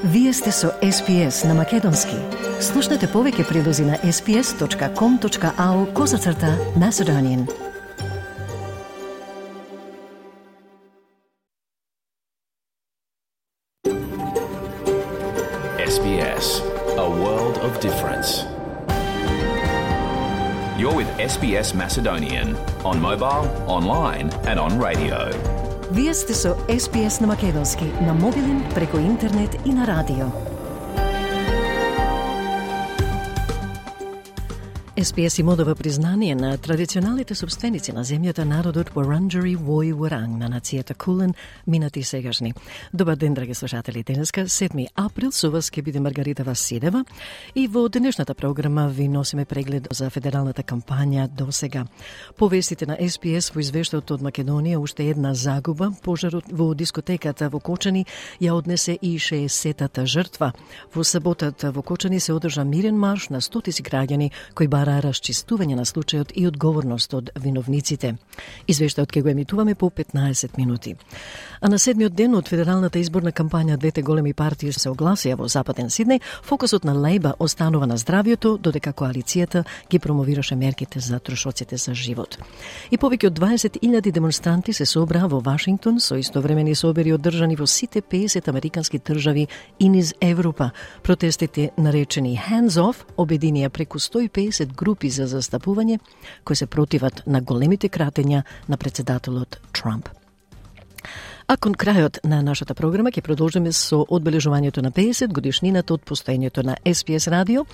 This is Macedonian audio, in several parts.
Вие сте со SPS на Македонски. Слушнете повеќе прилози на sps.com.au/Macedonian. SBS, a world of difference. You're with SBS Macedonian on mobile, online and on radio. Вие сте со SPS на Македонски, на мобилен, преку интернет и на радио. SPS им одава признание на традиционалните собственици на земјата, народот Вуранџари Вој Вуранг на нацијата Кулен, минати и сегашни. Добар ден, драги слушатели. Денеска, 7 април, со вас ќе биде Маргарита Василева и во денешната програма ви носиме преглед за федералната кампања до сега. По вестите на SPS во извештајот од Македонија, уште една загуба. Пожарот во дискотеката во Кочани ја однесе и 60-та жртва. Во саботата во Кочани се одржа мирен марш на стотици граѓани кои бара расчистување на случајот и одговорност од виновниците. Извештајот ќе го емитуваме по 15 минути. А на 7-миот ден од федералната изборна кампања двете големи партии се огласија во Западен Сиднеј, фокусот на Лейба останува на здравието, додека коалицијата ги промовираше мерките за трошоците за живот. И повеќе од 20.000 демонстранти се собраа во Вашингтон со истовремени собери одржани во сите 50 американски држави и низ Европа. Протестите, наречени Hands Off, обединија преку 150 групи за застапување кои се противат на големите кратења на председателот Трамп. А кон крајот на нашата програма ќе продолжиме со одбележувањето на 50 годишнината од постоењето на SPS радио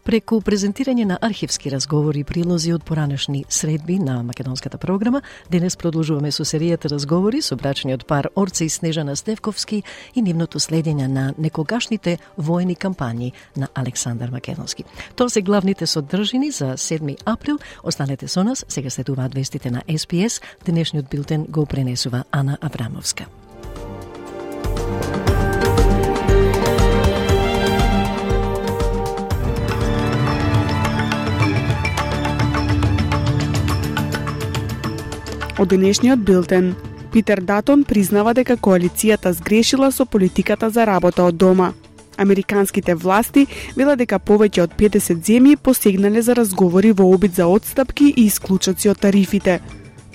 преку презентирање на архивски разговори и прилози од поранешни средби на македонската програма. Денес продолжуваме со серијата разговори со брачниот пар Орце и Снежана Стевковски и нивното следење на некогашните воени кампањи на Александар Македонски. Тоа се главните содржини за 7 април. Останете со нас, сега следуваат вестите на SPS. Денешниот билтен го пренесува Ана Абрамовска. Од денешниот билтен, Питер Датон признава дека коалицијата сгрешила со политиката за работа од дома. Американските власти велат дека повеќе од 50 земји посегнале за разговори во обид за отстапки и исклучоци од тарифите.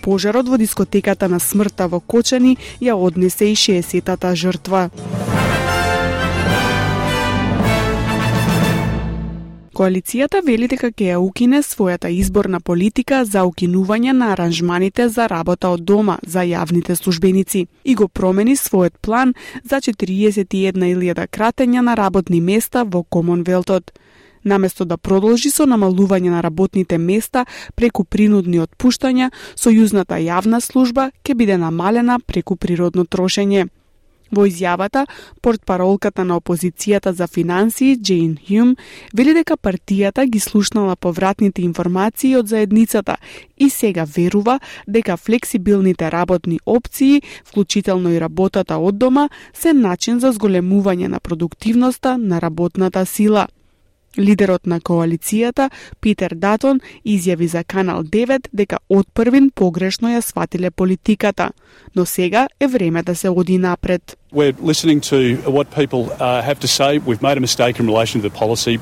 Пожарот во дискотеката на смртта во Кочани ја однесе и 60-та жртва. Коалицијата вели дека ќе ја укине својата изборна политика за укинување на аранжманите за работа од дома за јавните службеници и го промени својот план за 41.000 кратења на работни места во Комонвелтот. Наместо да продолжи со намалување на работните места преку принудни отпуштања, сојузната јавна служба ќе биде намалена преку природно трошење. Во изјавата, портпаролката на опозицијата за финансии, Джейн Хјум, вели дека партијата ги слушнала повратните информации од заедницата и сега верува дека флексибилните работни опции, вклучително и работата од дома, се начин за зголемување на продуктивноста на работната сила. Лидерот на коалицијата, Питер Датон, изјави за Канал 9 дека отпрвин погрешно ја сватиле политиката, но сега е време да се оди напред. We're listening to what people have to say. We've made a mistake in relation to the policy.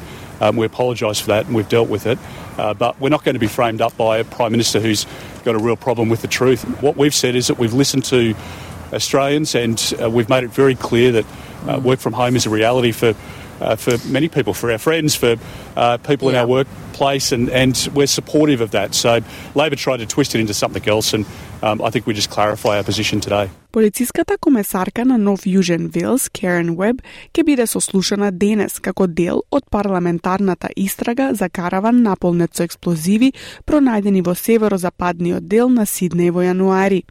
We apologise for that and we've dealt with it. But we're not going to be framed up by a Prime Minister who's got a real problem with the truth. What we've said is that we've listened to Australians and we've made it very clear that work from home is a reality for many people, for our friends, for people in our workplace, and we're supportive of that. So Labor tried to twist it into something else, and I think we just clarify our position today. Полициската комесарка на Нов Јужен Велс, Карен Уеб, ќе биде сослушана денес како дел од парламентарната истрага за караван наполнет со експлозиви пронајдени во северозападниот дел на Сиднеј во јануари.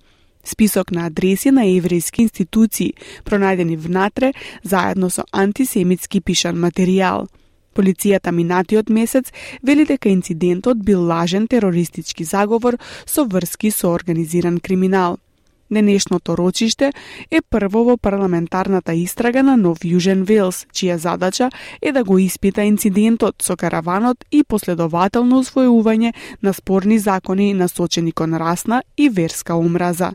Список на адреси на еврејски институции, пронајдени внатре, заедно со антисемитски пишан материјал. Полицијата минатиот месец вели дека инцидентот бил лажен терористички заговор со врски со организиран криминал. Денешното рочиште е прво во парламентарната истрага на Нов Јужен Велс, чија задача е да го испита инцидентот со караванот и последователно усвојување на спорни закони насочени кон расна и верска омраза.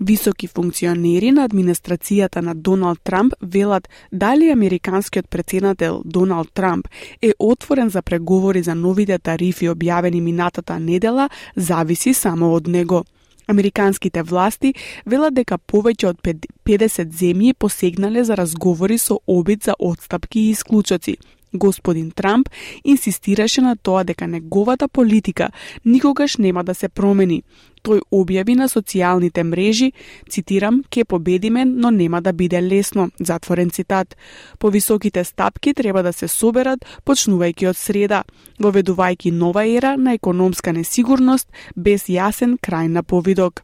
Високи функционери на администрацијата на Доналд Трамп велат дали американскиот претседател Доналд Трамп е отворен за преговори за новите тарифи објавени минатата недела, зависи само од него. Американските власти велат дека повеќе од 50 земји посегнале за разговори со обид за отстапки и исклучоци. Господин Трамп инсистираше на тоа дека неговата политика никогаш нема да се промени. Тој објави на социјалните мрежи, цитирам, "Ке победиме, но нема да биде лесно", затворен цитат. Повисоките стапки треба да се соберат почнувајќи од среда, воведувајќи нова ера на економска несигурност без јасен крај на повидок.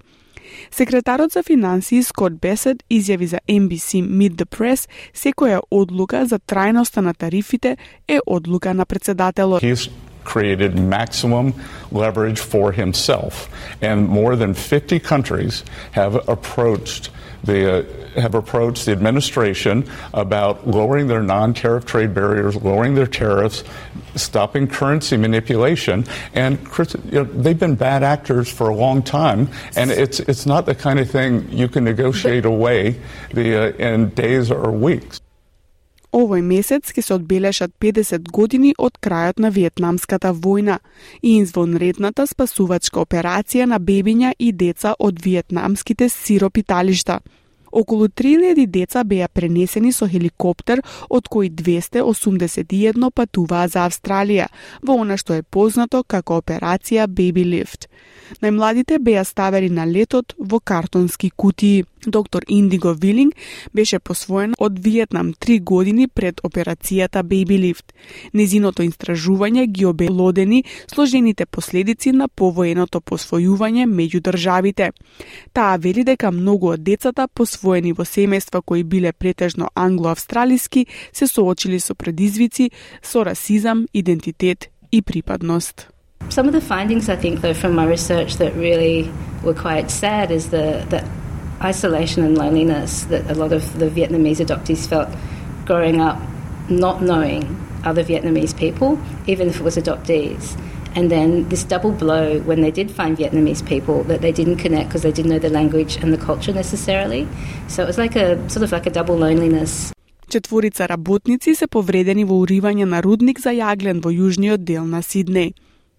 Секретарот за финансии Скот Бесет изјави за NBC Meet the Press секоја одлука за трајноста на тарифите е одлука на председателот. He's created maximum leverage for himself, and more than 50 countries have approached the administration about lowering their non-tariff trade barriers, lowering their tariffs, stopping currency manipulation, and they've been bad actors for a long time, and it's not the kind of thing you can negotiate away in days or weeks. Овој месец ќе се одбележат 50 години од крајот на Виетнамската војна и извонредната спасувачка операција на бебиња и деца од виетнамските сиропиталишта. Околу 3000 деца беа пренесени со хеликоптер, од кои 281 патуваа за Австралија, во она што е познато како операција Baby Lift. Најмладите беа ставени на летот во картонски кутии. Доктор Индиго Вилинг беше посвоен од Виетнам 3 години пред операцијата Baby Lift. Незиното истражување ги обелодени сложените последици на повоеното посвојување меѓу државите. Таа вели дека многу од децата посвоени во семејства кои биле претежно англо-австралиски се соочили со предизвици со расизам, идентитет и припадност. Some of the findings, I think, though, from my research that really were quite sad is the isolation and loneliness that a lot of the Vietnamese adoptees felt growing up not knowing other Vietnamese people, even if it was adoptees. And then this double blow when they did find Vietnamese people that they didn't connect because they didn't know the language and the culture necessarily. So it was like a double loneliness. Четворица работници се повредени во уривање на рудник за јаглен во јужниот дел на Сиднеј.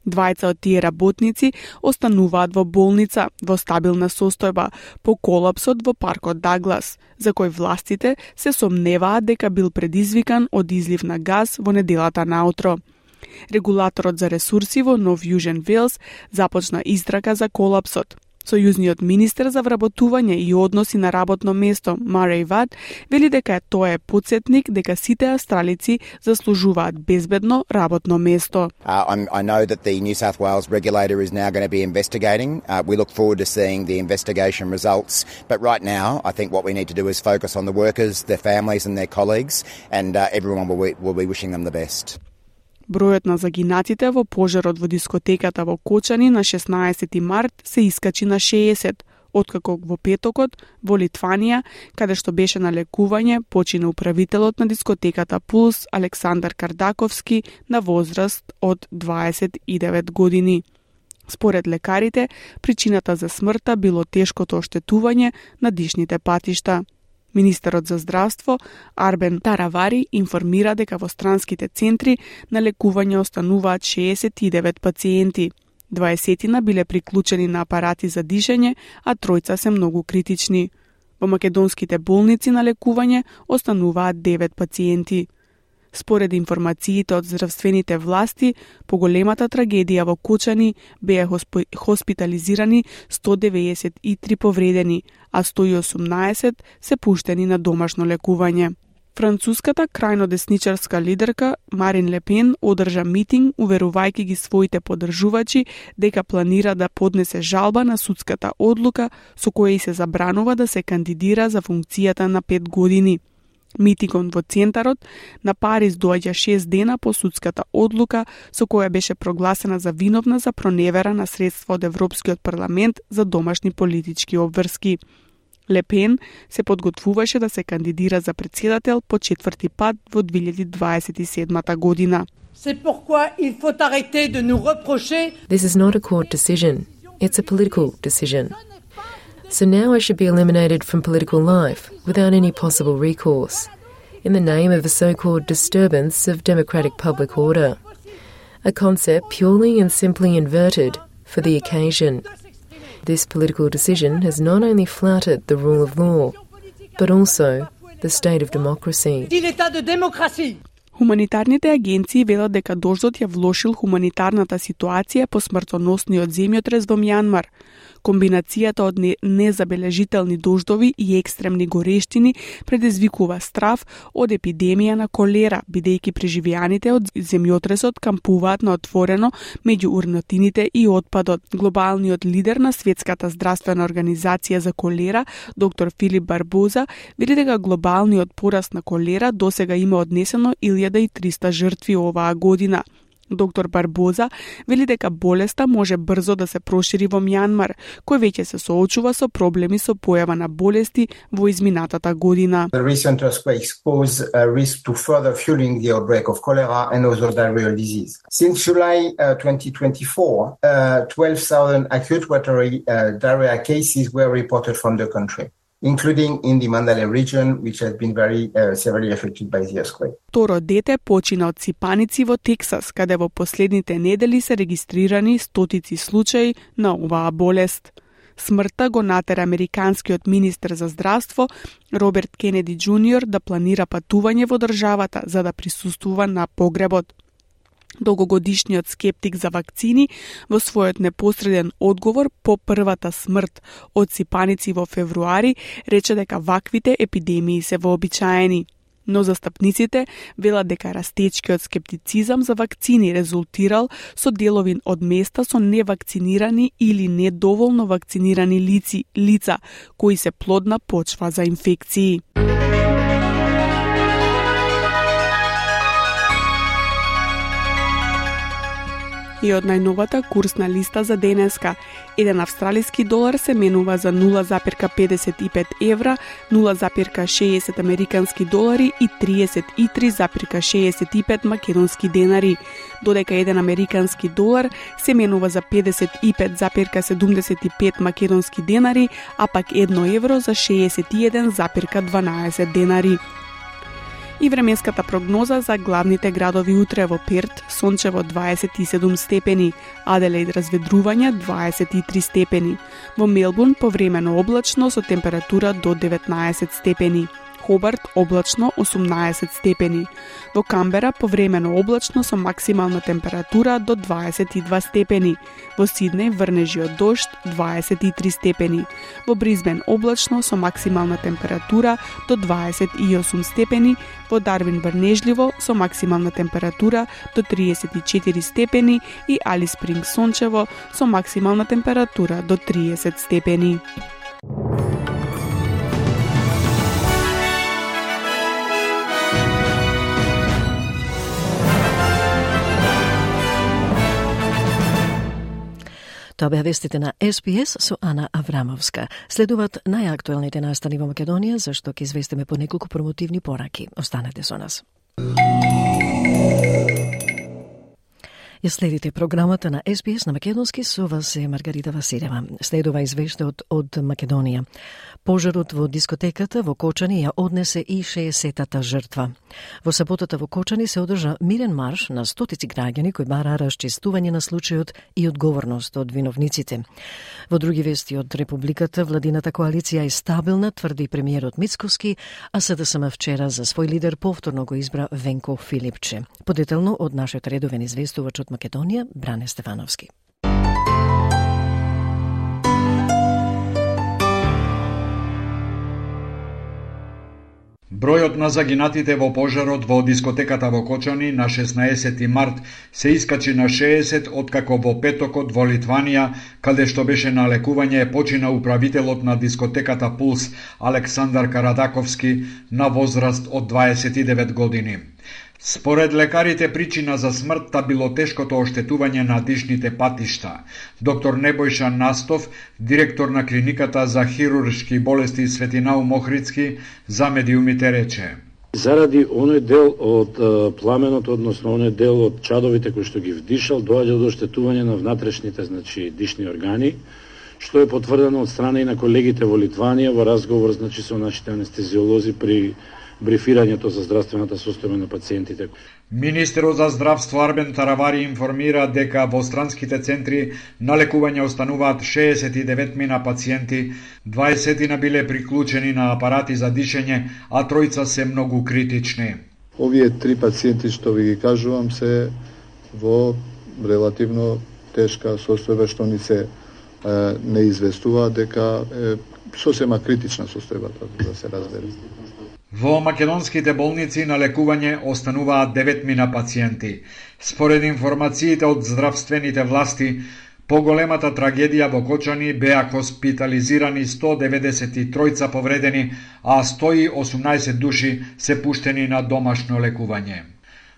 Двајца од тие работници остануваат во болница во стабилна состојба по колапсот во паркот Даглас, за кој властите се сомневаат дека бил предизвикан од излив на газ во неделата наутро. Регулаторот за ресурси во Нов Јужен Велс започна истрага за колапсот. Сојузниот министер за вработување и односи на работно место, Марей Вад, вели дека тоа е потсетник дека сите австралици заслужуваат безбедно работно место. I know that the New South Wales regulator is now going to be investigating. We look forward to seeing the investigation results. But right now, I think what we need to do is focus on the workers, their families and their colleagues, and everyone will be wishing them the best. Бројот на загинатите во пожарот во дискотеката во Кочани на 16 март се искачи на 60, откако во петокот во Литванија, каде што беше на лекување, почина управителот на дискотеката Пулс Александар Кардаковски на возраст од 29 години. Според лекарите, причината за смртта било тешкото оштетување на дишните патишта. Министерот за здравство Арбен Таравари информира дека во странските центри на лекување остануваат 69 пациенти. 20 биле приклучени на апарати за дишење, а 3 се многу критични. Во македонските болници на лекување остануваат 9 пациенти. Според информациите од здравствените власти, по големата трагедија во Кочани беа хоспитализирани 193 повредени, а 118 се пуштени на домашно лекување. Француската крајно десничарска лидерка Марин Ле Пен одржа митинг уверувајќи ги своите поддржувачи дека планира да поднесе жалба на судската одлука со која се забранува да се кандидира за функцијата на 5 години. Митингот во центарот на Париз доаѓа 6 дена по судската одлука со која беше прогласена за виновна за проневера на средства од Европскиот парламент за домашни политички обврски. Ле Пен се подготвуваше да се кандидира за председател по 4-ти пат во 2027 година. This is not a court decision. It's a political decision. So now I should be eliminated from political life without any possible recourse, in the name of the so-called disturbance of democratic public order, a concept purely and simply inverted for the occasion. This political decision has not only flouted the rule of law, but also the state of democracy. Хуманитарните агенции велат дека дождот ја влошил хуманитарната ситуација по смртоносниот земјотрес во Мјанмар. Комбинацијата од незабележителни дождови и екстремни горештини предизвикува страв од епидемија на колера, бидејќи преживеаните од земјотресот кампуваат на отворено меѓу урнотините и отпадот. Глобалниот лидер на Светската здравствена организација за колера, доктор Филип Барбоза, вели дека глобалниот пораст на колера досега има однесено 1300 жртви оваа година. Доктор Барбоза вели дека болеста може брзо да се прошири во Мјанмар, кој веќе се соочува со проблеми со појава на болести во изминатата година. The recent earthquakes pose a risk to further fueling the outbreak of cholera and other diarrheal disease. Since July 2024, 12,000 acute watery diarrhea cases were reported from the country, including in the Mandalay region, which has been very severely affected by the earthquake. Второ дете почина од сипаници во Тексас, каде во последните недели се регистрирани стотици случаи на оваа болест. Смртта го натера американскиот министер за здравство Роберт Кенеди Џуниор да планира патување во државата за да присуствува на погребот. Долгогодишниот скептик за вакцини во својот непосреден одговор по првата смрт од сипаници во февруари рече дека ваквите епидемии се вообичаени. Но застапниците велат дека растечкиот скептицизам за вакцини резултирал со делови од места со невакцинирани или недоволно вакцинирани лица кои се плодна почва за инфекции. И од најновата курсна листа за денеска, еден австралиски долар се менува за 0,55 евра, 0,60 американски долари и 33,65 македонски денари, додека еден американски долар се менува за 55,75 македонски денари, а пак 1 евро за 61,12 денари. И временската прогноза за главните градови утре: во Перт сончево 27 степени, Аделаид разведрување 23 степени, во Мелбурн повремено облачно со температура до 19 степени, Хобарт облачно 18 степени, во Камбера повремено облачно со максимална температура до 22 степени, во Сиднеј врнежи од дожд 23 степени, во Бризбен облачно со максимална температура до 28 степени, во Дарвин врнежливо со максимална температура до 34 степени и Алис Спрингс сончево со максимална температура до 30 степени. Тоа беа вестите на СПС со Ана Аврамовска. Следуваат најактуелните настани во Македонија, зашто ќе известиме по неколку промотивни пораки. Останете со нас. Ја следите програмата на СПС на македонски, со вас е Маргарита Василева. Следува извештај од Македонија. Пожарот во дискотеката во Кочани ја однесе и 60-та жртва. Во саботата во Кочани се одржа мирен марш на стотици граѓани кои бараа расчистување на случајот и одговорност од виновниците. Во други вести од Републиката, владината коалиција е стабилна, тврди премиерот Мицковски, а СДСМ вчера за свој лидер повторно го избра Венко Филипче. Подетелно од нашиот редовен известувач од Македонија, Бране Стефановски. Бројот на загинатите во пожарот во дискотеката во Кочани на 16 март се искачи на 60 откако во петокот во Литванија, каде што беше на лекување, почина управителот на дискотеката Пулс Александар Карадаковски на возраст од 29 години. Според лекарите, причина за смртта било тешкото оштетување на дишните патишта. Доктор Небојша Настов, директор на клиниката за хируршки болести Светинау Мохридски, за медиумите рече: заради оној дел од пламенот, односно оној дел од чадовите кои што ги вдишал, доаѓа до оштетување на внатрешните, дишни органи, што е потврдено од страна и на колегите во Литванија во разговор со нашите анестезиолози при брифирањето за здравствената состојба на пациентите. Министерот за здравство Арбен Таравари информира дека во странските центри на лекување остануваат 69 мина пациенти, 20 биле приклучени на апарати за дишење, а тројца се многу критични. Овие 3 пациенти што ви ги кажувам се во релативно тешка состојба што ни се не известува дека сосема критична состојбата, да се разбере. Во македонските болници на лекување остануваат 9 мина пациенти. Според информациите од здравствените власти, поголемата трагедија во Кочани беа хоспитализирани 193 повредени, а 118 души се пуштени на домашно лекување.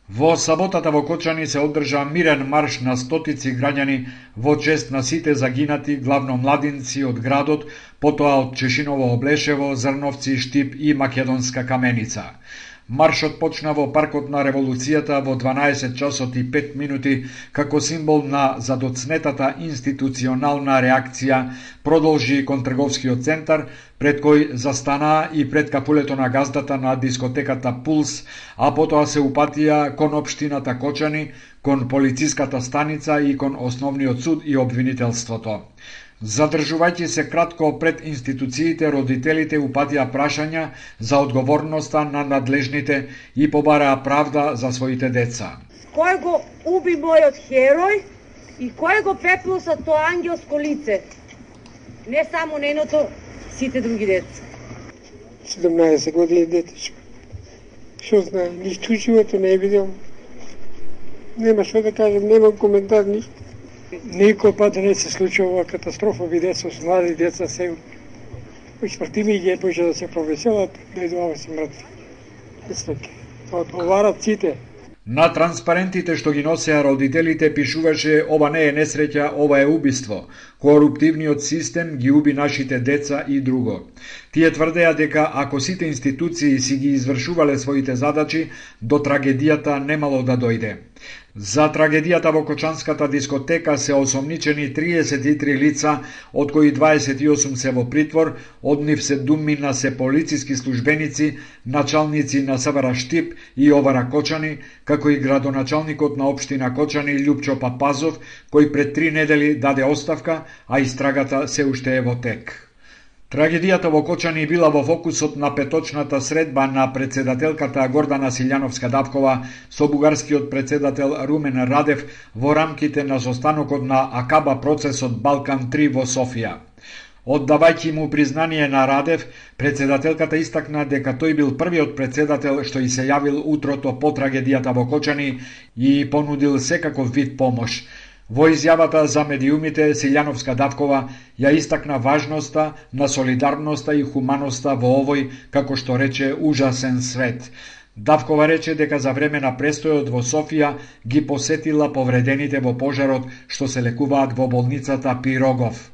Во саботата во Кочани се одржа мирен марш на стотици граѓани во чест на сите загинати, главно младинци од градот, потоа од Чешиново Облешево, Зрновци, Штип и Македонска Каменица. Маршот почна во паркот на Револуцијата во 12 часот и 5 минути како символ на задоцнетата институционална реакција, продолжи кон трговскиот центар, пред кој застана и пред капулето на газдата на дискотеката Пулс, а потоа се упатија кон општината Кочани, кон полициската станица и кон основниот суд и обвинителството. Задржувајќи се кратко пред институциите, родителите упатија прашања за одговорноста на надлежните и побараа правда за своите деца. Кој го уби мојот херој и кој го пеплоса тоа ангелско лице? Не само неното, сите други деца. 17 години детечко. Што знае, ништо живото не е видел. Нема што да кажем, немам коментар, ништо. Никој пат не се случува катастрофа, деца, млади деца се испратими ги поише да се провеселат, да идуваме си мртви. Одговарат сите. На транспарентите што ги носеа родителите пишуваше: ова не е несреќа, ова е убиство. Коруптивниот систем ги уби нашите деца и друго. Тие тврдеа дека ако сите институции си ги извршувале своите задачи, до трагедијата немало да дојде. За трагедијата во Кочанската дискотека се осомничени 33 лица, од кои 28 се во притвор, од нив 7 се полициски службеници, началници на СВР Штип и ОВР Кочани, како и градоначалникот на општина Кочани Љупчо Папазов, кој пред 3 недели даде оставка, а истрагата се уште е во тек. Трагедијата во Кочани била во фокусот на петочната средба на председателката Гордана Силјановска-Давкова со бугарскиот председател Румен Радев во рамките на состанокот на Акаба процесот Балкан 3 во Софија. Оддавајќи му признание на Радев, председателката истакна дека тој бил првиот председател што и се јавил утрото по трагедијата во Кочани и понудил секаков вид помош. Во изјавата за медиумите, Силјановска-Давкова ја истакна важноста на солидарноста и хуманоста во овој, како што рече, ужасен свет. Давкова рече дека за време на престојот во Софија ги посетила повредените во пожарот што се лекуваат во болницата Пирогов.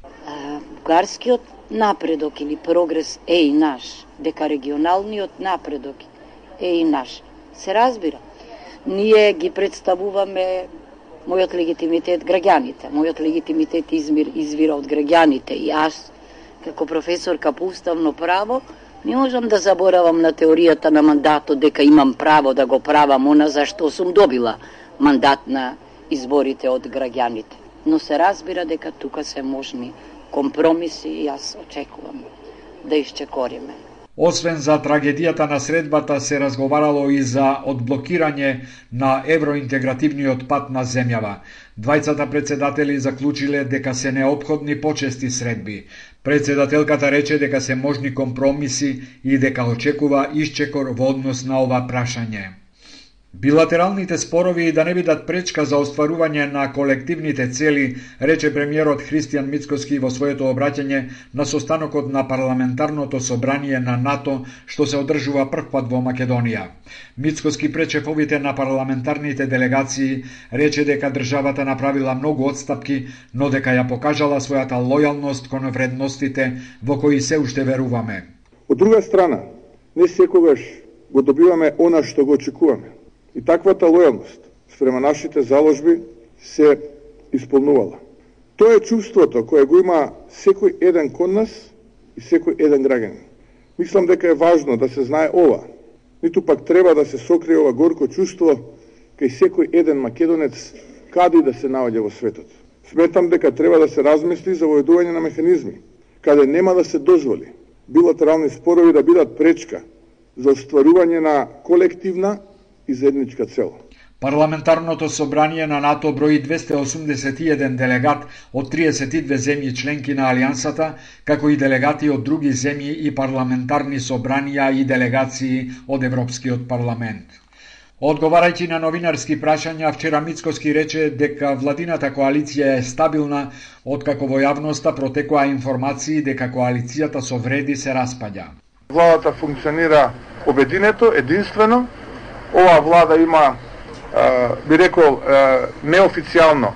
Бугарскиот напредок или прогрес е и наш, дека регионалниот напредок е и наш. Се разбира, ние ги представуваме мојот легитимитет граѓаните. Мојот легитимитет извира од граѓаните и аз, како професорка по уставно право, не можам да заборавам на теоријата на мандатот дека имам право да го правам она за што сум добила мандат на изборите од граѓаните. Но се разбира дека тука се можни компромиси и јас очекувам да исчекориме. Освен за трагедијата на средбата се разговарало и за одблокирање на евроинтегративниот пат на земјава. Двајцата председатели заклучиле дека се неопходни почести средби. Председателката рече дека се можни компромиси и дека очекува исчекор во однос на ова прашање. Билатералните спорови да не бидат пречка за остварување на колективните цели, рече премиерот Христијан Мицкоски во своето обраќање на состанокот на парламентарното собрание на НАТО што се одржува првпат во Македонија. Мицкоски пречефовите на парламентарните делегации рече дека државата направила многу отстапки, но дека ја покажала својата лојалност кон вредностите во кои се уште веруваме. Од друга страна, не секогаш го добиваме она што го очекуваме. И таквата лојалност спрема нашите заложби се исполнувала. Тоа е чувството кое го има секој еден кон нас и секој еден граѓанин. Мислам дека е важно да се знае ова. Ниту пак треба да се сокрие ова горко чувство кај секој еден македонец каде да се наоѓа во светот. Сметам дека треба да се размисли за воедување на механизми, каде нема да се дозволи билатерални спорови да бидат пречка за остварување на колективна и заедничка цел. Парламентарното собрание на НАТО брои 281 делегат од 32 земји членки на Алијансата, како и делегати од други земји и парламентарни собранија и делегации од Европскиот парламент. Одговарајќи на новинарски прашања, вчера Мицкоски рече дека владината коалиција е стабилна, откако во јавноста протекоа информации дека коалицијата со вреди се распаѓа. Владата функционира обединето, единствено. Ова влада има, би рекол, неофицијално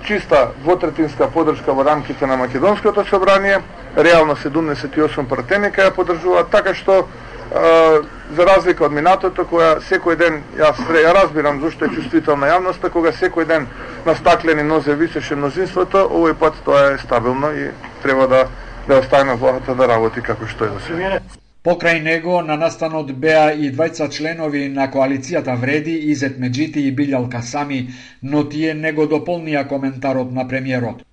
чиста двотретинска поддршка во рамките на Македонското собрание, реално 78 пратеника ја поддржуваат, така што за разлика од минатото, која секој ден, ја разбирам зашто е чувствителна јавноста, кога секој ден на стаклени нозе висеше мнозинството, овој пат тоа е стабилно и треба да оставиме владата да работи како што е до сега. Покрај него на настанот беа и двајца членови на коалицијата Вреди, Изет Меджити и Билјал Касами, но тие не го дополнија коментарот на премиерот.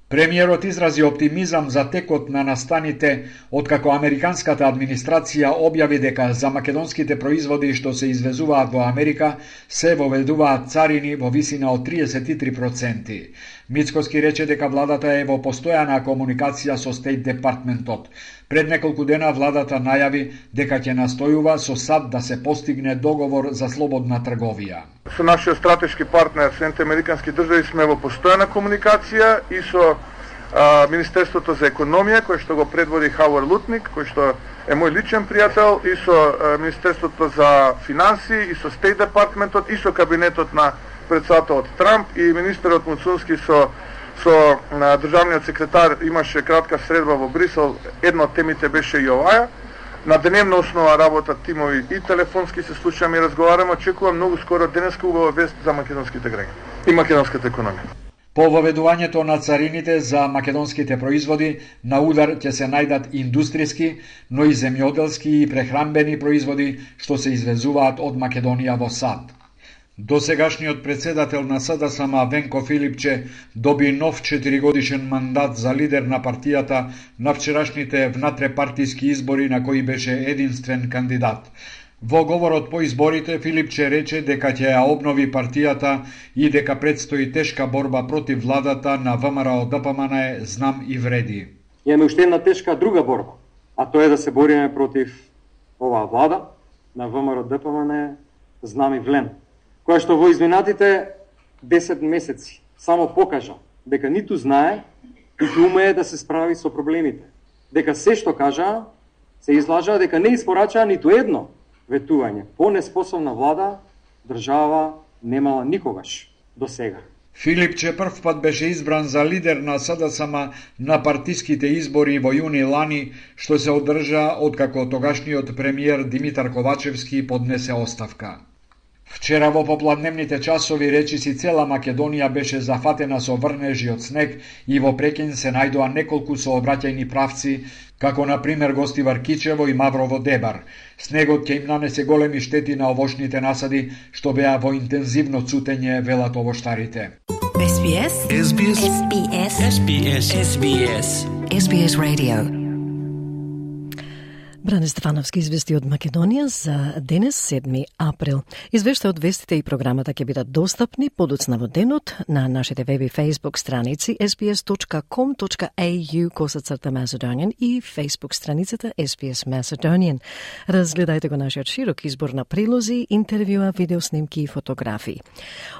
Премиерот изрази оптимизам за текот на настаните, откако американската администрација објави дека за македонските производи што се извезуваат во Америка се воведуваат царини во висина од 33%. Мицкоски рече дека владата е во постојана комуникација со Стейт Департментот. Пред неколку дена владата најави дека ќе настојува со САД да се постигне договор за слободна трговија. Со нашиот стратешки партнер, Соединените американски држави, сме во постојана комуникација и со Министерството за економија, кој што го предводи Хауар Лутник, кој што е мој личен пријател, и со Министерството за финансии, и со Стейт Департментот, и со кабинетот на председателот Трамп, и министерот Муцунски со државниот секретар имаше кратка средба во Брисел. Една од темите беше и оваа. На дневна основа работат тимови и телефонски се слушаме и разговараме. Очекувам многу скоро денеска убава вест за македонските граѓани и македонската економија. По воведувањето на царините за македонските производи, на удар ќе се најдат индустријски, но и земјоделски и прехранбени производи што се извезуваат од Македонија во САД. Досегашниот председател на СДСМ Венко Филипче доби нов 4-годишен мандат за лидер на партијата на вчерашните внатрепартиски избори на кои беше единствен кандидат. Во говорот по изборите Филипче рече дека ќе ја обнови партијата и дека предстои тешка борба против владата на ВМРО ДПМН Знам и Вреди. Имаме уште една тешка друга борба, а тоа е да се бориме против оваа влада на ВМРО ДПМН Знам и Влен, која што во изминатите 10 месеци само покажа дека ниту знае, ниту умее да се справи со проблемите. Дека се што кажа, се излажа, дека не испорача ниту едно ветување. По-неспособна влада држава немала никогаш до сега. Филипче прв пат беше избран за лидер на СДСМ на партиските избори во јуни лани, што се одржа откако тогашниот премиер Димитар Ковачевски поднесе оставка. Вчера во попладневните часови речиси цела Македонија беше зафатена со врнежи од снег и во Прекин се најдоа неколку сообраќајни правци, како на пример Гостивар Кичево и Маврово Дебар. Снегот ќе им нанесе големи штети на овошните насади, што беа во интензивно цутење, велат овоштарите. SBS SBS SBS SBS SBS SBS Radio. Бране Стефановски извести од Македонија за денес 7 април. Извештај од вестите и програмата ќе бидат достапни подоцна во денот на нашите веб и Facebook страници sbs.com.au/Macedonian и Facebook страницата SBS Macedonian. Разгледајте го нашиот широк избор на прилози, интервјуа, видеоснимки и фотографии.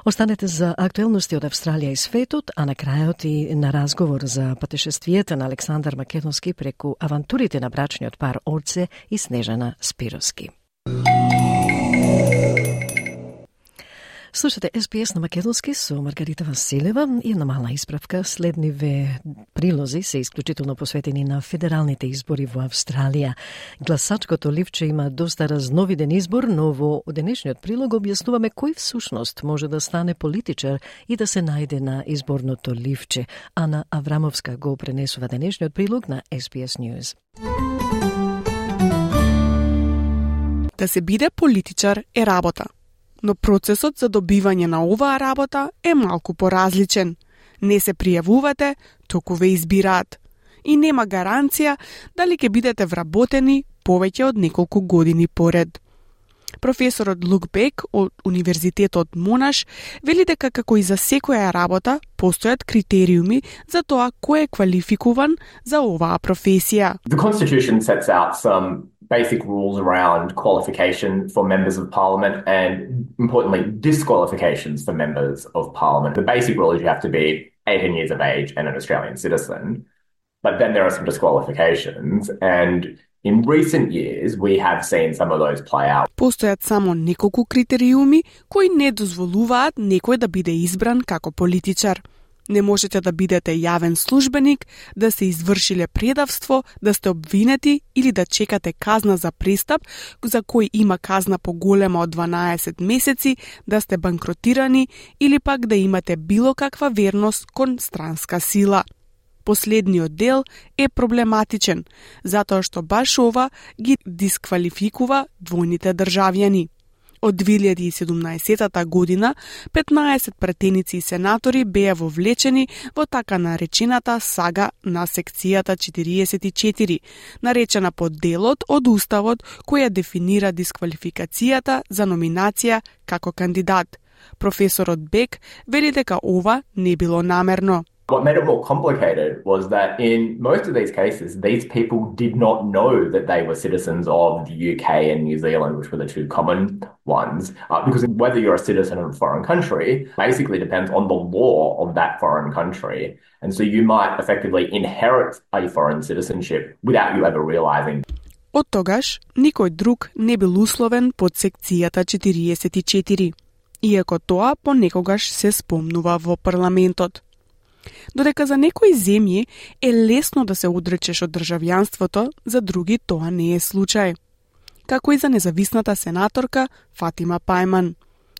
Останете за актуелности од Австралија и светот, а на крајот и на разговор за патешествијата на Александар Македонски преку авантурите на брачниот пар Орце и Снежана Спировски. Слушате SBS на македонски со Маргарита Василева и една мала исправка. Следниве прилози се исклучително посветени на федералните избори во Австралија. Гласачкото ливче има доста разновиден избор, но во денешниот прилог објаснуваме кој всушност може да стане политичар и да се најде на изборното ливче. Ана Аврамовска го пренесува денешниот прилог на SBS News. Да се биде политичар е работа, но процесот за добивање на оваа работа е малку поразличен. Не се пријавувате, току ве избираат. И нема гаранција дали ќе бидете вработени повеќе од неколку години поред. Професорот Лук Бек од Универзитетот Монаш вели дека како и за секоја работа постојат критериуми за тоа кој е квалификуван за оваа професија. The Constitution sets out some basic rules around qualification for members of parliament and, importantly, disqualifications for members of parliament. The basic rule is you have to be 18 years of age and an Australian citizen. But then there are some disqualifications, and in recent years we have seen some of those play out. Постојат само неколку критериуми кои не дозволуваат некој да биде избран како политичар. Не можете да бидете јавен службеник, да се извршиле предавство, да сте обвинети или да чекате казна за престап за кој има казна поголема од 12 месеци, да сте банкротирани или пак да имате било каква верност кон странска сила. Последниот дел е проблематичен, затоа што баш ова ги дисквалификува двојните државјани. Од 2017 година 15 претеници и сенатори беа вовлечени во така наречената сага на секцијата 44, наречена по делот од Уставот која дефинира дисквалификацијата за номинација како кандидат. Професорот Бек вели дека ова не било намерно. What made it more complicated was that in most of these cases, these people did not know that they were citizens of the UK and New Zealand, which were the two common ones, because whether you're a citizen of a foreign country basically depends on the law of that foreign country. And so you might effectively inherit a foreign citizenship without you ever realizing. Од тогаш, никој друг не бил условен под секцијата 44, иако тоа понекогаш се спомнува во парламентот. Додека за некои земји е лесно да се одречеш од државјанството, за други тоа не е случај. Како и за независната сенаторка Фатима Пајман.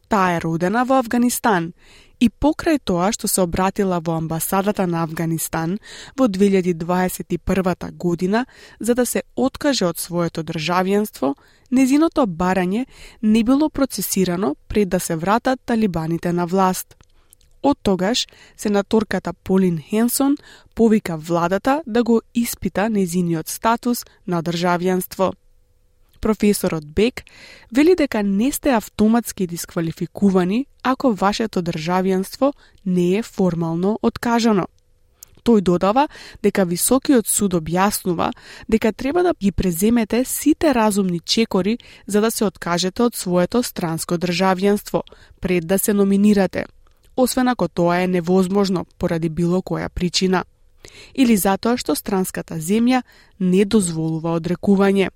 Таа е родена во Авганистан и покрај тоа што се обратила во амбасадата на Авганистан во 2021 година за да се откаже од своето државјанство, незиното барање не било процесирано пред да се вратат талибаните на власт. Од тогаш, сенаторката Полин Хенсон повика владата да го испита незиниот статус на државјанство. Професорот Бек вели дека не сте автоматски дисквалификувани ако вашето државјанство не е формално откажано. Тој додава дека Високиот суд објаснува дека треба да ги преземете сите разумни чекори за да се откажете од своето странско државјанство пред да се номинирате, освен ако тоа е невозможно поради било која причина, или затоа што странската земја не дозволува одрекување.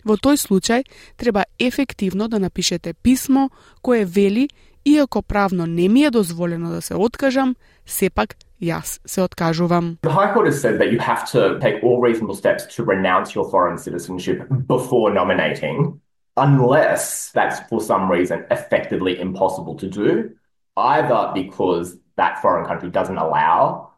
Во тој случај треба ефективно да напишете писмо кое вели, иако правно не ми е дозволено да се откажам, сепак јас се откажувам. The High Court has said that you have to take all reasonable steps to renounce your foreign citizenship before nominating, unless that's for some reason effectively impossible to do, either because that foreign country doesn't allow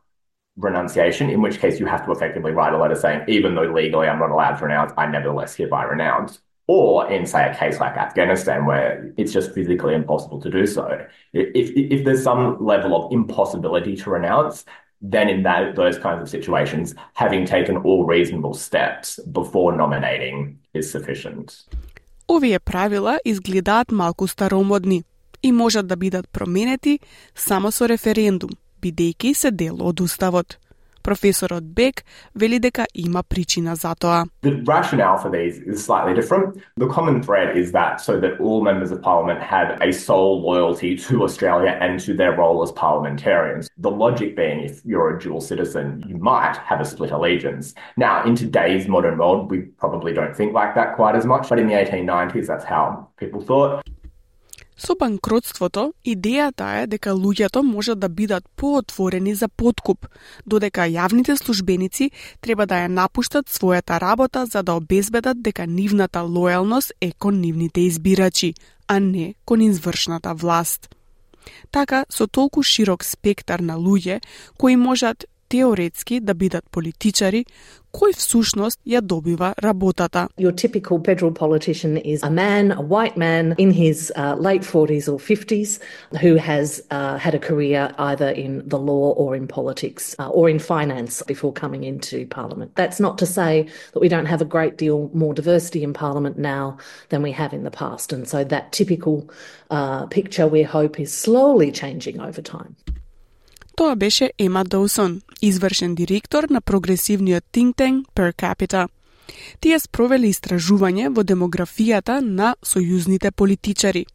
renunciation, in which case you have to effectively write a letter saying, even though legally I'm not allowed to renounce, I nevertheless hereby renounce. Or in, say, a case like Afghanistan, where it's just physically impossible to do so. If there's some level of impossibility to renounce, then in those kinds of situations, having taken all reasonable steps before nominating is sufficient. Овие правила изгледаат малку старомодни и можат да бидат променети само со референдум, бидејќи се дел од Уставот. Професорот Бек вели дека има причина за тоа. The rationale for these is slightly different. The common thread is that so that all members of parliament have a sole loyalty to Australia and to their role as parliamentarians. The logic being if you're a dual citizen, you might have a split allegiance. Now, in today's modern world, we probably don't think like that quite as much, but in the 1890s, that's how people thought. Со банкротството, идејата е дека луѓето можат да бидат поотворени за подкуп, додека јавните службеници треба да ја напуштат својата работа за да обезбедат дека нивната лојалност е кон нивните избирачи, а не кон извршната власт. Така, со толку широк спектар на луѓе кои можат теоретски да бидат политичари, кој всушност ја добива работата. Your typical federal politician is a man, a white man in his late 40s or 50s who has had a career either in the law or in politics or in finance before coming into Parliament. That's not to say that we don't have a great deal more diversity in Parliament now than we have in the past. And so that typical picture we hope is slowly changing over time. Тоа беше Ема Доусон, извршен директор на прогресивниот think tank Per Capita. Тие спровели истражување во демографијата на сојузните политичари.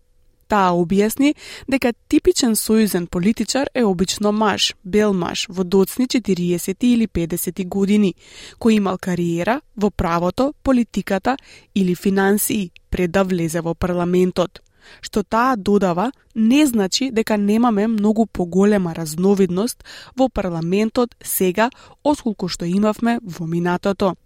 Таа објасни дека типичен сојузен политичар е обично маж, бел маж во доцни 40 или 50 години, кој имал кариера во правото, политиката или финансии пред да влезе во парламентот. Што таа додава, не значи дека немаме многу поголема разновидност во парламентот сега, отколку што имавме во минатото.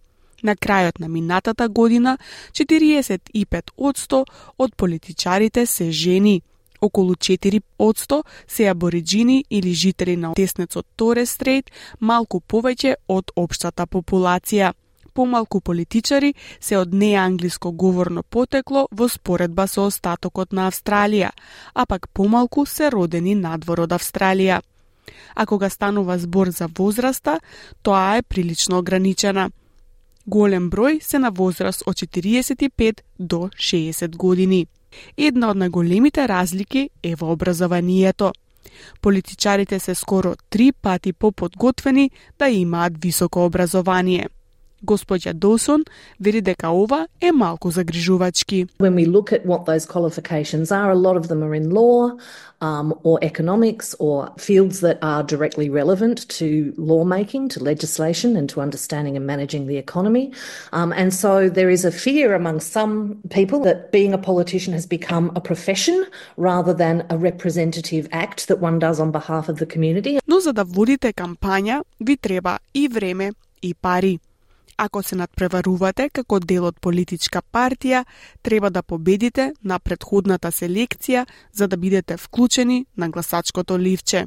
На крајот на минатата година, 45% од политичарите се жени, околу 4% се абориджини или жители на теснецот Торес Стрейт, малку повеќе од општата популација. Помалку политичари се од неанглиско говорно потекло во споредба со остатокот на Австралија, а пак помалку се родени надвор од Австралија. А кога станува збор за возраста, тоа е прилично ограничена. Голем број се на возраст од 45 до 60 години. Една од најголемите разлики е во образованието. Политичарите се скоро 3 пати поподготвени да имаат високо образование. Господја Доусон вели дека ова е малку загрижувачки. When we look at what those qualifications are, a lot of them are in law or economics or fields that are directly relevant to lawmaking, to legislation and to understanding and managing the economy. And so there is a fear among some people that being a politician has become a profession rather than a representative act that one does on behalf of the community. Но за да водите кампања, ви треба и време и пари. Ако се надпреварувате како дел од политичка партија, треба да победите на претходната селекција за да бидете вклучени на гласачкото ливче.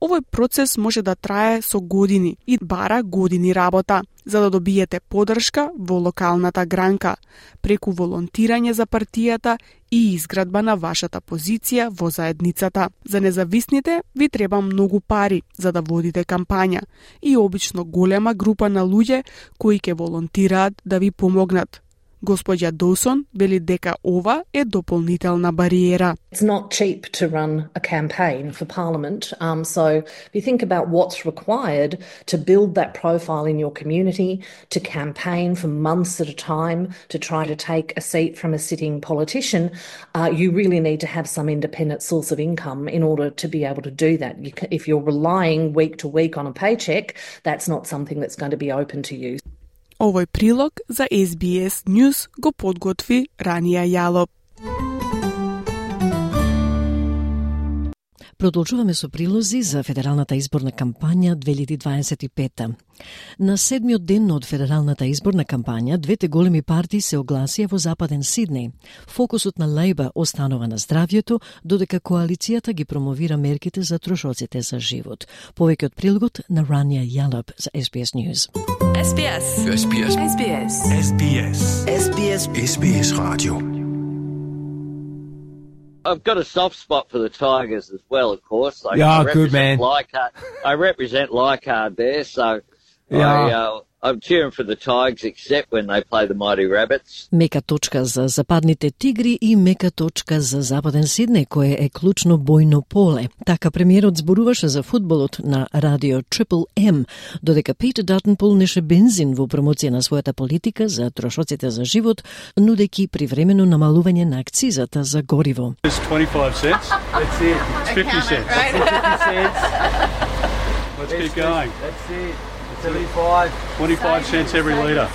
Овој процес може да трае со години и бара години работа, за да добиете поддршка во локалната гранка, преку волонтирање за партијата и изградба на вашата позиција во заедницата. За независните ви треба многу пари за да водите кампања и обично голема група на луѓе кои ќе волонтираат да ви помогнат. Господја Доусон вели дека ова е дополнителна бариера. It's not cheap to run a campaign for Parliament, so if you think about what's required to build that profile in your community, to campaign for months at a time, to try to take a seat from a sitting politician, you really need to have some independent source of income in order to be able to do that. If you're relying week to week on a paycheck, that's not something that's going to be open to you. Овој прилог за SBS News го подготви Рания Јалоп. Продолжуваме со прилози за федералната изборна кампања 2025. На 7-миот ден од федералната изборна кампања, двете големи партии се огласија во Западен Сиднеј. Фокусот на Лејбар останува на здравјето, додека коалицијата ги промовира мерките за трошоците за живот. Повеќе од прилогот на Рания Јалоп за SBS News. SBS. SBS. SBS. SBS. SBS. SBS Radio. I've got a soft spot for the Tigers as well, of course. Yeah, good man. I represent Leichhardt there, so I'm cheering for the Tigers except when they play the Mighty Rabbits. Мека точка за западните тигри и мека точка за Западен Сиднеј, кое е клучно бојно поле. Така премиерот зборуваше за фудбалот на радио Triple M, додека Питер Датон полнеше бензин во промоција на својата политика за трошоците за живот, нудејќи привремено намалување на акцизата за гориво. It's 25 cents. That's it. It's 50 cents. Right. 50 cents. Let's keep going. That's it. 75. 25 cents every litre.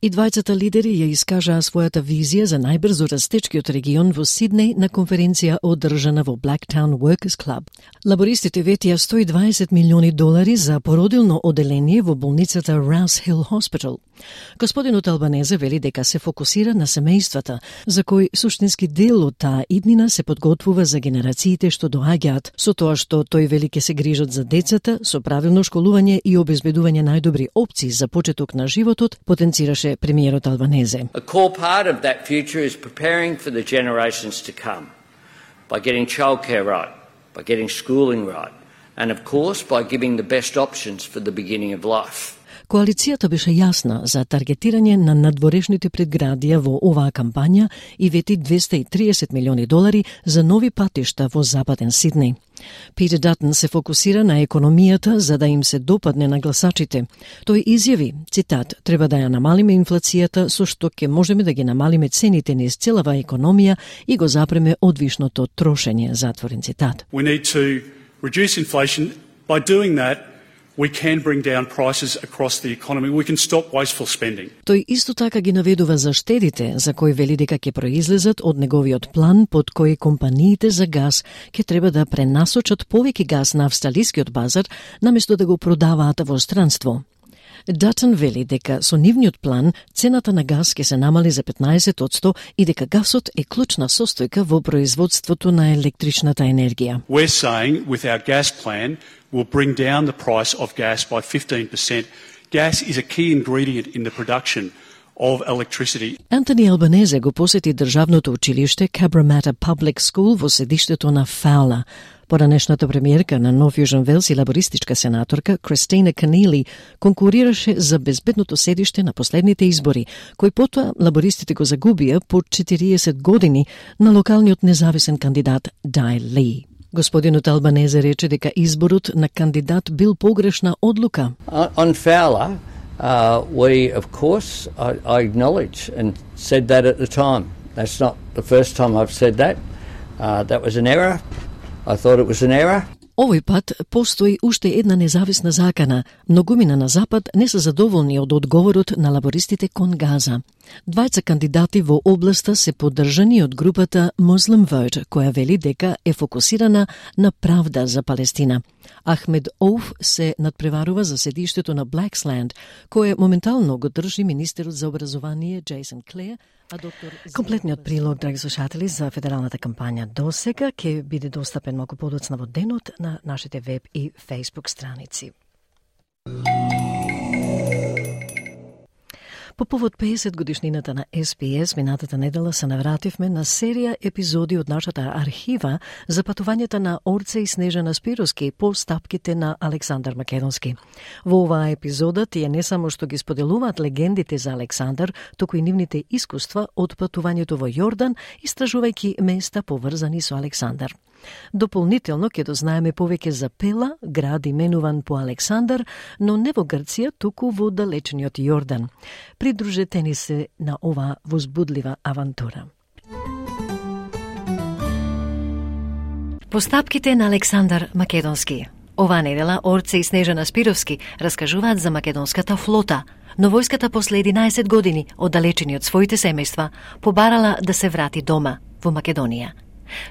И двајцата лидери ја искажаа својата визија за најбрзо растечкиот регион во Сиднеј на конференција одржана во Blacktown Workers Club. Лабористите ветија $120 милиони за породилно оделение во болницата Rouse Hill Hospital. Господинот Албанезе вели дека се фокусира на семејствата, за кои суштински дел од таа иднина се подготвува за генерациите што доаѓаат, со тоа што тој вели ке се грижат за децата, со правилно школување и обезбедување најдобри опции за почеток на животот, потенцираше премиерот Албанезе. A core part of that future is preparing for the generations to come by getting childcare right, by getting schooling right, and of course by giving the best options for the beginning of life. Коалицијата беше јасна за таргетирање на надворешните предградија во оваа кампања и вети $230 милиони за нови патишта во западен Сиднеј. Питер Датон се фокусира на економијата за да им се допадне на гласачите. Тој изјави, цитат, треба да ја намалиме инфлацијата со што ќе можеме да ги намалиме цените низ целава економија и го запреме одвишното трошење, затворен цитат. We need to reduce inflation. By doing that, we can bring down prices across the economy. We can stop wasteful spending. Тој исто така ги наведува за штедите, за кои вели дека ќе произлезат од неговиот план под кој компаниите за газ ќе треба да пренасочат повеќе газ на австралискиот базар, наместо да го продаваат во странство. Датон вели дека со нивниот план цената на газ ќе се намали за 15% и дека газот е клучна состојка во производството на електричната енергија. We're saying with our gas plan we'll bring down the price of gas by 15%. Gas is a key ingredient in the production of electricity. Антони Албанезе го посети државното училиште Cabramatta Public School во седиштето на Фаула. Поранешната премиерка на Нов Јужен Велс и лабористичка сенаторка Кристина Канили конкурираше за безбедното седиште на последните избори, кои потоа лабористите го загубија по 40 години на локалниот независен кандидат Дай Ли. Господинот Албанезе рече дека изборот на кандидат бил погрешна одлука. On Fowler, we of course, I acknowledge and said that at the time. That's not the first time I've said that. That was an error. I thought it was an error. Овој пат постои уште една независна закана. Многумина на Запад не се задоволни од одговорот на лабористите кон газа. Двајца кандидати во областа се поддржани од групата Muslim Vote, која вели дека е фокусирана на правда за Палестина. Ахмед Оуф се надпреварува за седиштето на Blaxland, кое моментално го држи министерот за образование Джейсон Клеер, а доктор... Комплетниот прилог, драги слушатели, за федералната кампања досега ќе биде достапен малку подоцна во денот на нашите веб и фейсбук страници. По повод 50 годишнината на SBS, минатата недела се навративме на серија епизоди од нашата архива за патувањата на Орце и Снежана Спировски по стапките на Александар Македонски. Во оваа епизода тие не само што ги споделуваат легендите за Александар, туку и нивните искуства од патувањето во Јордан, истражувајќи места поврзани со Александар. Дополнително ќе дознаеме повеќе за Пела, град именуван по Александар, но не во Грција, туку во далечниот Јордан. Придружете ни се на оваа возбудлива авантура. Постапките на Александар Македонски. Оваа недела Орце и Снежана Спировски раскажуваат за македонската флота, но војската после 11 години оддалечени од своите семејства побарала да се врати дома во Македонија.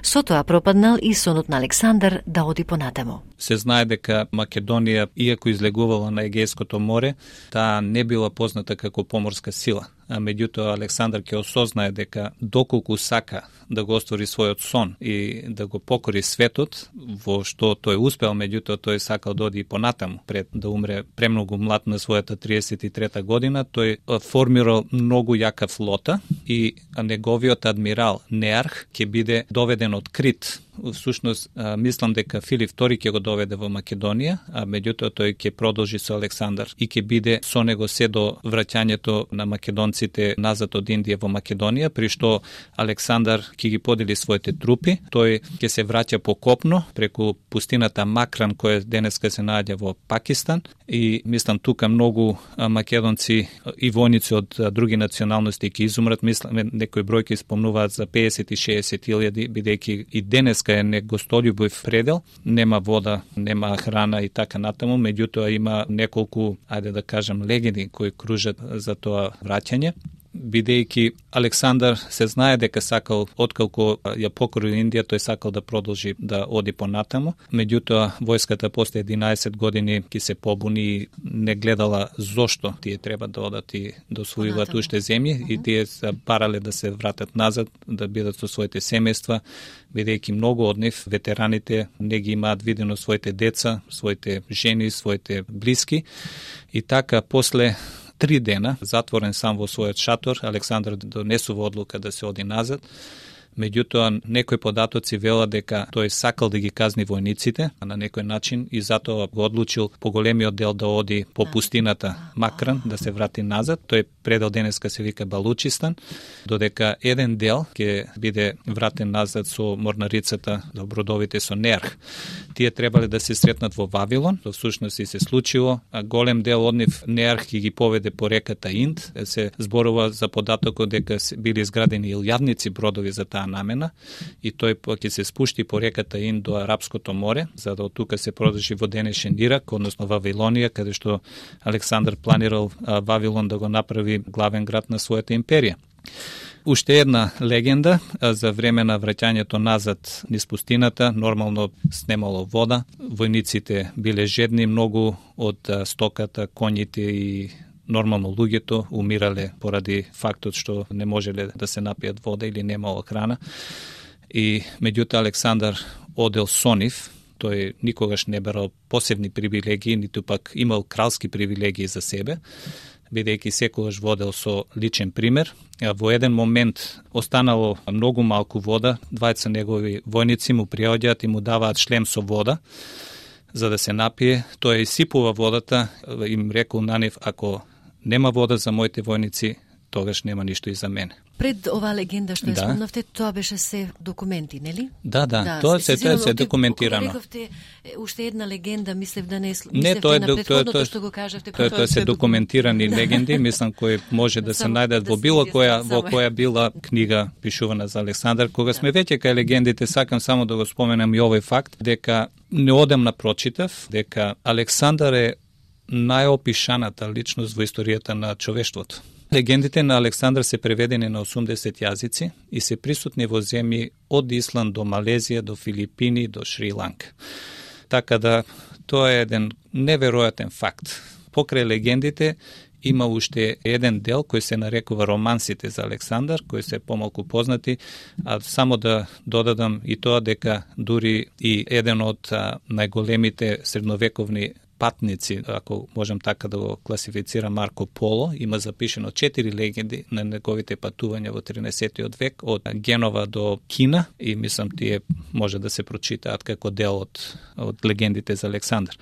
Со тоа пропаднал и сонот на Александар да оди понатаму. Се знае дека Македонија, иако излегувала на Егејското море, таа не била позната како поморска сила. А меѓутоа Александар ќе осознае дека доколку сака да го оствори својот сон и да го покори светот, во што тој успел, меѓутоа тој сакал да оди и понатаму, пред да умре премногу млад на својата 33 година, тој формирал многу јака флота и неговиот адмирал Неарх ќе биде доведен од Крит. Всушност, мислам дека Филип II ќе го доведе во Македонија, а меѓутоа тој ќе продолжи со Александар и ќе биде со него се до враќањето на македонците назад од Индија во Македонија, при што Александар ќе ги подели своите трупи. Тој ќе се враќа по копно преку пустината Макран, која денеска се наоѓа во Пакистан, и мислам тука многу македонци и војници од други националности ќе изумрат. Мислам некои бројки спомнуваат за 50 и 60 илјади, бидејќи и денеска Врска е негостолюбив предел, нема вода, нема храна и така натаму, меѓутоа има неколку, ајде да кажем, легенди кои кружат за тоа враќање. Бидејќи Александар се знае дека сакал, отколку ја покори Индија, тој сакал да продолжи да оди понатаму. Меѓутоа, војската после 11 години ќе се побуни и не гледала зошто тие треба да одат и да освојуваат уште земји и тие се барале да се вратат назад, да бидат со своите семејства, бидејќи многу од нив, ветераните, не ги имаат видено своите деца, своите жени, своите блиски. И така, после 3 дена, затворен сам во својот шатор, Александар донесува одлука да се оди назад. Меѓутоа, некои податоци велат дека тој сакал да ги казни војниците на некој начин и затоа го одлучил поголемиот дел да оди по пустината Макран, да се врати назад. Тој предел денеска се вика Балучистан, додека еден дел ќе биде вратен назад со морнарицата, до бродовите со Неарх. Тие требале да се сретнат во Вавилон, во всушност и се случило, а голем дел од нив Неарх ќе ги поведе по реката Инд. Се зборува за податокот дека били изградени илјадници бродови за таа намена и тој ќе се спушти по реката Инд до Арапското море, за да од тука се продржи во денешен Ирак, односно Вавилонија, каде што Александар планирал Вавилон да го направи главен град на својата империја. Уште една легенда за време на враќањето назад низ пустината, нормално снемало вода, војниците биле жедни, многу од стоката, коњите и нормално луѓето умирале поради фактот што не можеле да се напијат вода или немало храна. И меѓутоа Александар одел со нив, тој никогаш не берал посебни привилегии, ниту пак имал кралски привилегии за себе, бидејќи секогаш водел со личен пример. Во еден момент останало многу малку вода, двајца негови војници му приоѓаат и му даваат шлем со вода за да се напие. Тој изсипува водата, им рекол на нив, ако нема вода за моите војници, тогаш нема ништо и за мене. Пред оваа легенда што ја спомнавте, тоа беше се документи, нели? Да, тоа се документирано. Рековте уште една легенда, мислев да не не тоа на претходното што го кажавте. Тоа се документирани легенди, мислам кои може да се најдат во било која била книга пишувана за Александар. Кога сме веќе кај легендите, сакам само да го споменам и овој факт, дека неодамна прочитав дека Александар е најопишаната личност во историјата на човештвото. Легендите на Александар се преведени на 80 јазици и се присутни во земји од Исланд до Малезија, до Филипини, до Шри-Ланка. Така да, тоа е еден неверојатен факт. Покрај легендите има уште еден дел кој се нарекува романсите за Александар, кои се помалку познати, а само да додадам и тоа дека дури и еден од најголемите средновековни патници, ако можем така да го класифицира, Марко Поло, има запишено 4 легенди на неговите патувања во 13. век од Генова до Кина и мислам тие може да се прочитаат како дел од легендите за Александар.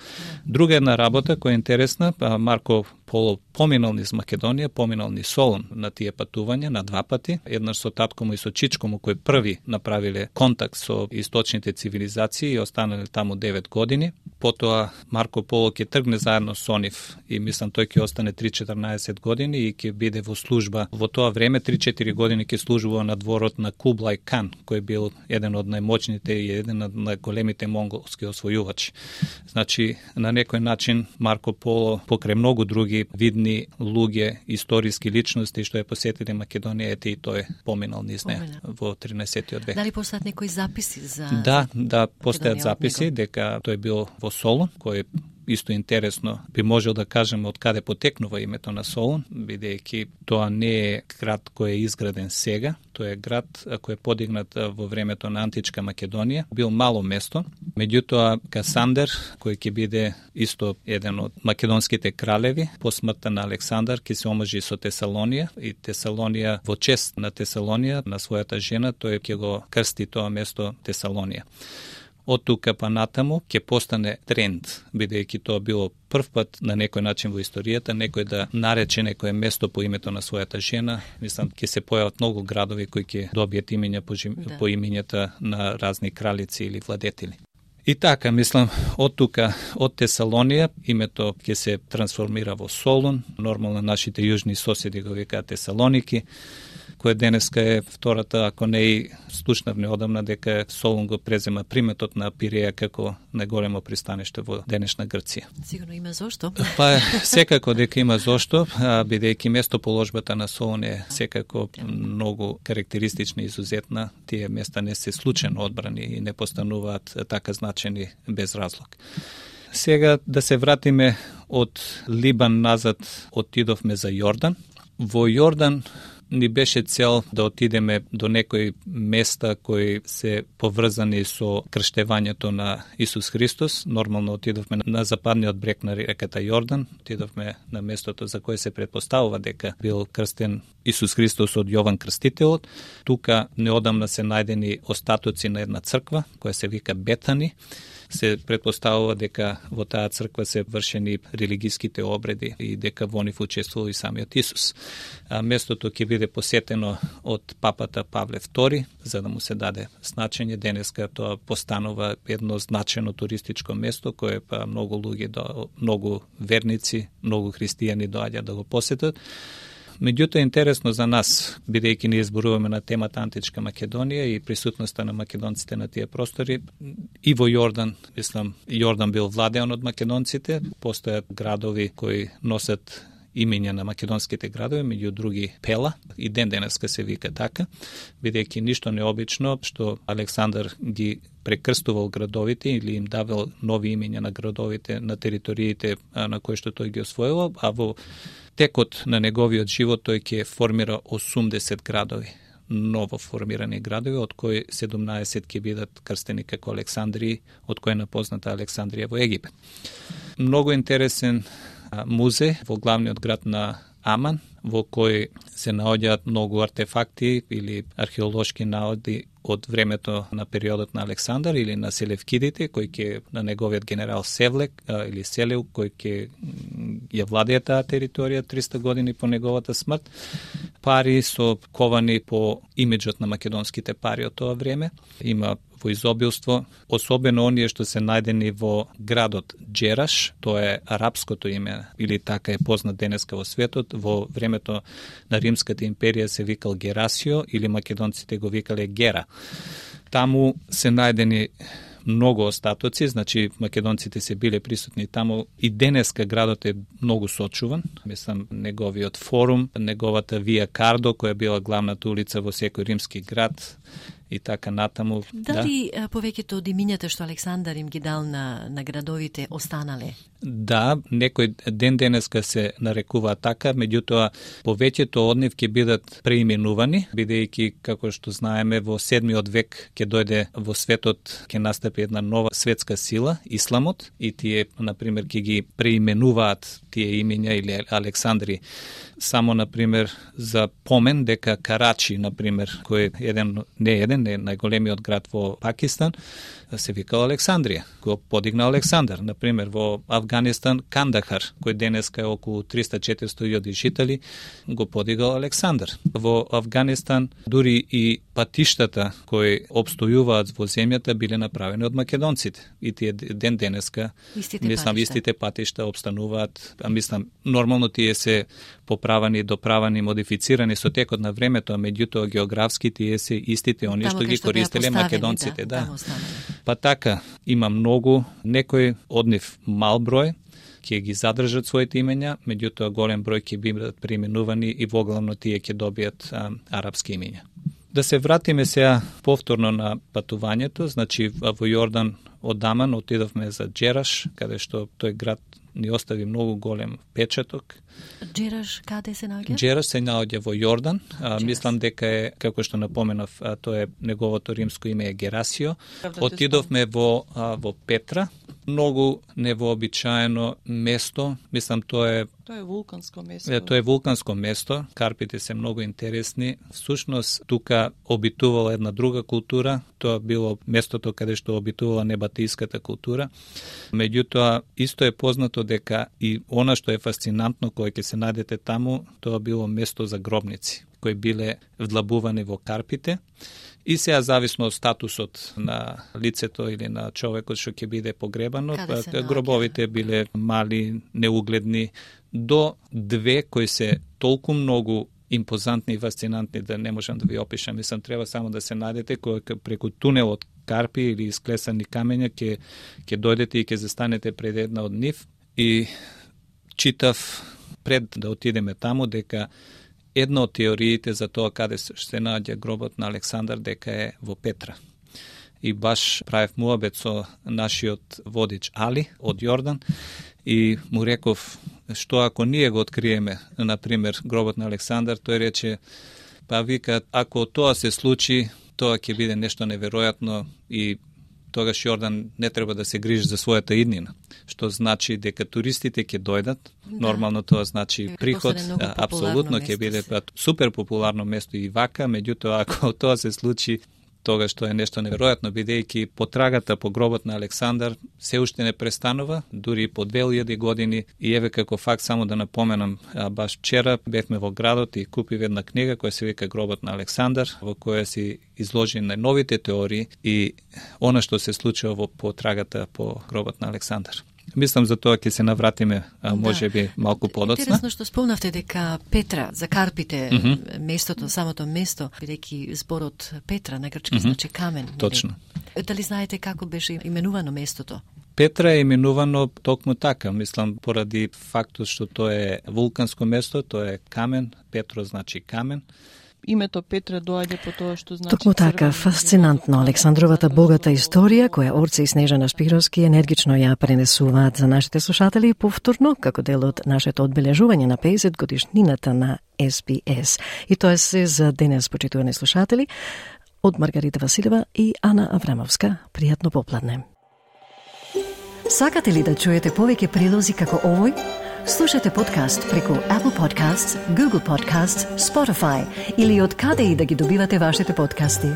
Друга една работа која е интересна, Марко Поло поминал низ Македонија, поминал низ Солун на тие патувања на 2 пати, еднаш со татко му и со чичко му кои први направиле контакт со источните цивилизации и останале таму 9 години. Потоа Марко Поло ќе тргне заедно со нив и мислам тој ќе остане 3-14 години и ќе биде во служба. Во тоа време 3-4 години ќе служува на дворот на Кублај Кан, кој бил еден од најмоćните и еден од најголемите монголски освојувачи. Значи, на некој начин Марко Поло покрај многу други видни луѓе, историски личности што ја посетиле Македонија, ете и тој поминал низ неа во 13. век. Дали постојат некои записи за Да, постојат записи дека тој бил во Солун, кој исто интересно би можел да кажеме од каде потекнува името на Солун, бидејќи тоа не е град кој е изграден сега, тоа е град кој е подигнат во времето на античка Македонија, бил мало место. Меѓутоа Касандер, кој ќе биде исто еден од македонските кралеви, по смртта на Александар ќе се омажи со Тесалонија и Тесалонија во чест на Тесалонија, на својата жена, тој ќе го крсти тоа место Тесалонија. Од тука па натаму ќе постане тренд, бидејќи тоа било прв пат на некој начин во историјата, некој да нарече некое место по името на својата жена. Мислам, ќе се појават многу градови кои ќе добијат имиња по имињата на разни кралици или владетели. И така, мислам, од тука, од Тесалонија, името ќе се трансформира во Солун, нормално нашите јужни соседи го викаат Тесалоники. која денеска е втората, ако не и слушнавме одамна дека Солун го презема приметот на Пиреја како најголемо пристаниште во денешна Грција. Сигурно има зошто. Па секако дека има зошто, бидејќи местоположбата на Солун е секако многу карактеристична и изузетна. Тие места не се случајно одбрани и не постануваат така значени без разлог. Сега да се вратиме од Либан назад, отидовме за Јордан. Во Јордан ни беше цел да отидеме до некои места кои се поврзани со крштевањето на Исус Христос. Нормално отидовме на западниот брег на реката Јордан, отидовме на местото за кое се предпоставува дека бил крстен Исус Христос од Јован Крстителот. Тука неодамна се најдени остатоци на една црква која се вика Бетани. Се предпоставува дека во таа црква се вршени религиските обреди и дека во нив учествувал и самиот Исус. Местото ќе биде посетено од папата Павле II, за да му се даде значење. Денеска тоа постанува едно значено туристичко место кое многу луѓе, многу верници, многу христијани доаѓаат да го посетат. Меѓутоа, интересно за нас, бидејќи ние зборуваме на темата Античка Македонија и присутноста на македонците на тие простори, и во Јордан, мислам, Јордан бил владеан од македонците, постојат градови кои носат имења на македонските градови, меѓу други Пела, и ден денеска се вика така, бидејќи ништо необично што Александар ги прекрстувал градовите или им давал нови имења на градовите на териториите на кои што тој ги освоил, а во текот на неговиот живот тој ќе формира 80 градови, ново формирани градови, од кои 17 ќе бидат крстени како Александрии, од кој е напозната Александрија во Египет. Многу интересен музеј во главниот град на Аман, во кој се наоѓаат многу артефакти или археолошки наоди од времето на периодот на Александар или на Селевкидите, кој ќе на неговиот генерал Севлек или Селеу, кој ќе ја владее таа територија 300 години по неговата смрт. Пари со ковани по имиджот на македонските пари од тоа време. Има во изобилство, особено оние што се најдени во градот Джераш, тоа е арапското име, или така е познат денеска во светот. Во времето на Римската империја се викал Герасио, или македонците го викале Гера. Таму се најдени многу остатоци, значи македонците се биле присутни таму и денеска градот е многу сочуван. Мислам, неговиот форум, неговата Вија Кардо, која била главната улица во секој римски град, и така натаму. Дали повеќето од имињата што Александар им ги дал на градовите останале? Да, некој ден денеска се нарекува така, меѓутоа повеќето од нив ќе бидат преименувани, бидејќи, како што знаеме, во 7 век ќе дојде во светот, ќе настапи една нова светска сила, исламот, и тие, например, ќе ги преименуваат тие имиња или Александри. Само, например, за помен дека Карачи, например, кој е најголемиот град во Пакистан, се викал Александрија, го подигна Александар. Например, во Афганистан Кандахар, кој денеска е околу 300-400 жители, го подигал Александар. Во Афганистан дури и патиштата кои обстојуваат во земјата биле направени од македонците. И тие ден денеска, истите патишта обстануваат, нормално тие се поправани, доправани, модифицирани со текот на времето, а меѓутоа географски тие се истите оние што ги користеле македонците. Па така, има многу, некој од нив мал број ќе ги задржат своите имења, меѓутоа голем број ќе бидат преименувани и воглавно тие ќе добијат арапски имења. Да се вратиме сега повторно на патувањето, значи во Јордан од Аман отидовме за Джераш, каде што тој град ни остави многу голем печаток. Джераш каде се наоѓа? Джераш се наоѓа во Јордан. Мислам дека е, како што напоменав, тоа е неговото римско име е Герасио. Отидовме во Петра, многу невообичаено место. Мислам тоа е вулканско место. Тоа е вулканско место. Карпите се многу интересни. Всушност тука обитувала една друга култура. Тоа било местото каде што обитувала небатиската култура. Меѓутоа исто е познато дека и она што е фасцинантно кое ќе се најдете таму, тоа било место за гробници кои биле вдлабувани во Карпите. И сега зависно од статусот на лицето или на човекот што ќе биде погребано, гробовите биле мали, неугледни, до две кои се толку многу импозантни и фасцинантни да не можам да ви опишам. Мислам, треба само да се најдете кој преку тунел од карпи или исклесани камења ќе дојдете и ќе застанете пред една од нив. И читав пред да отидеме таму дека една од теориите за тоа каде се наоѓа гробот на Александар дека е во Петра. И баш правев муабет со нашиот водич Али од Јордан и му реков што ако ние го откриеме, например, гробот на Александар, тој рече, па вика, ако тоа се случи, тоа ќе биде нешто неверојатно и тогаш Јордан не треба да се грижи за својата иднина, што значи дека туристите ќе дојдат, нормално тоа значи приход, апсолутно ќе биде супер популарно место и вака, меѓутоа ако тоа се случи, тогаш тоа е нешто неверојатно, бидејќи потрагата по гробот на Александар се уште не престанува, дури по 2000 години, и еве како факт само да напоменам, баш вчера бевме во градот и купив една книга која се вика Гробот на Александар, во која си изложи најновите теории и она што се случува во потрагата по гробот на Александар. Мислам за тоа ќе се навратиме, може би малку подоцна. Интересно што спомнавте дека Петра, за карпите, местото, самото место, бидејќи зборот Петра на грчки значи камен. Точно. Дали знаете како беше именувано местото? Петра е именувано токму така, мислам, поради фактот што тоа е вулканско место, тоа е камен, Петро значи камен. Името Петра доаѓа по тоа што значи. Токму така, фасцинантно Александровата богата историја, која Орце и Снежана Шпировски енергично ја пренесуваат за нашите слушатели повторно, како дел од нашето одбележување на 50 годишнината на SBS. И тоа се за денес, почитувани слушатели, од Маргарита Василева и Ана Аврамовска. Пријатно попладне. Сакате ли да чуете повеќе прилози како овој? Слушате подкаст преку Apple Podcasts, Google Podcasts, Spotify или од каде и да ги добивате вашите подкасти.